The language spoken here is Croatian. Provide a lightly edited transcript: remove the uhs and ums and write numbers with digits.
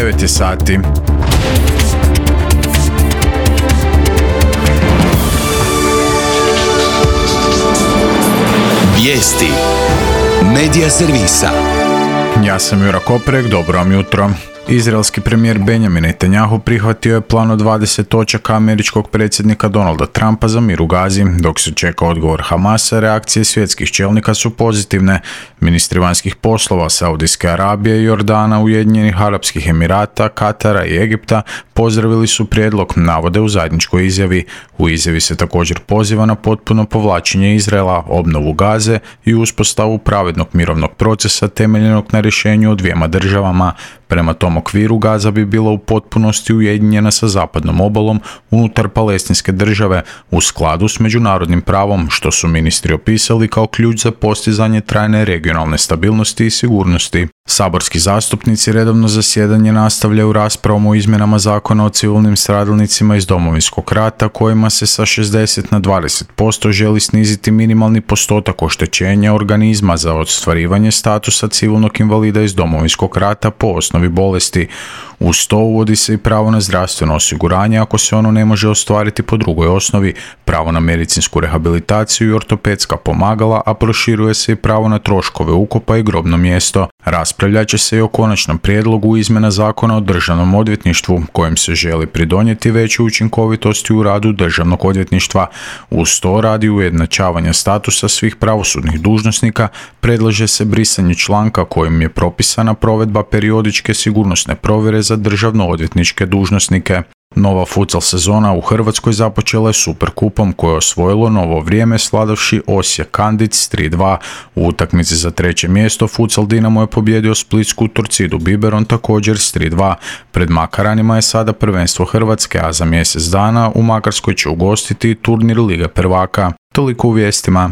9 je sati. Vijesti Medija servisa. Ja sam Jura Koprek, dobro vam jutro. Izraelski premijer Benjamin Netanjahu prihvatio je plan od 20 točaka američkog predsjednika Donalda Trumpa za mir u Gazi. Dok se čeka odgovor Hamasa, reakcije svjetskih čelnika su pozitivne. Ministri vanjskih poslova Saudijske Arabije, Jordana, Ujedinjenih Arapskih Emirata, Katara i Egipta pozdravili su prijedlog, navode u zajedničkoj izjavi. U izjavi se također poziva na potpuno povlačenje Izraela, obnovu Gaze i uspostavu pravednog mirovnog procesa temeljenog na rješenju o dvijema državama. Prema tom okviru Gaza bi bila u potpunosti ujedinjena sa zapadnom obalom unutar palestinske države u skladu s međunarodnim pravom, što su ministri opisali kao ključ za postizanje trajne regionalne stabilnosti i sigurnosti. Saborski zastupnici redovno zasjedanje nastavljaju raspravom o izmjenama zakona o civilnim stradalnicima iz Domovinskog rata, kojima se sa 60 na 20% želi sniziti minimalni postotak oštećenja organizma za ostvarivanje statusa civilnog invalida iz Domovinskog rata po osnovi bolesti. Uz to uvodi se i pravo na zdravstveno osiguranje ako se ono ne može ostvariti po drugoj osnovi, pravo na medicinsku rehabilitaciju i ortopedska pomagala, a proširuje se i pravo na troškove ukopa i grobno mjesto. Raspravljat će se i o konačnom prijedlogu izmjena zakona o državnom odvjetništvu, kojim se želi pridonijeti većoj učinkovitosti u radu državnog odvjetništva. Uz to, radi ujednačavanja statusa svih pravosudnih dužnosnika, predlaže se brisanje članka kojim je propisana provedba periodičke sigurnosne provjere za državno-odvjetničke dužnosnike. Nova futsal sezona u Hrvatskoj započela je Superkupom koje je osvojilo Novo Vrijeme sladavši Osijek Kandic s 3:2. U utakmici za treće mjesto futsal Dinamo je pobjedio splitsku Torcidu Biberon također s 3:2. Pred Makaranima je sada prvenstvo Hrvatske, a za mjesec dana u Makarskoj će ugostiti turnir Lige prvaka. Toliko u vijestima.